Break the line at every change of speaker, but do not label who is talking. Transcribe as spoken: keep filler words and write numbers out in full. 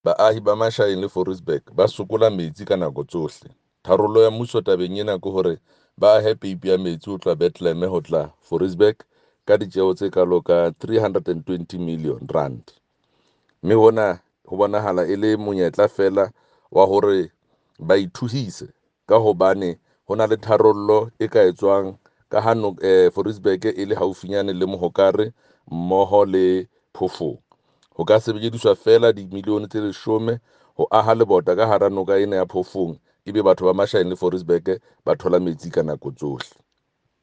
Baahi ba Mashaeng le Fouriesburg ba sokola metsi ka nako tsohle. Tharollo ya mmuso tabeng ena ke hore ba ahe peipi ya metsi ho tloha Bethlehem ho tla Fouriesburg ka ditjeho tse kalo ka three hundred and twenty million rand. Mme hona ho bonahala e le monyetla feela wa hore ba ithuhise ka hobane ho na le tharollo e ka etswang ka ha no, eh, Fouriesburg e le haufinyane le Mohokare mmoho le Phofong. Ho ka sebediswa feela dimilione tse leshome ho aha lebota ka hara noka ena ya Phofong, ebe batho ba Mashaeng le Fouriesburg ba thola metsi ka nako tsohle.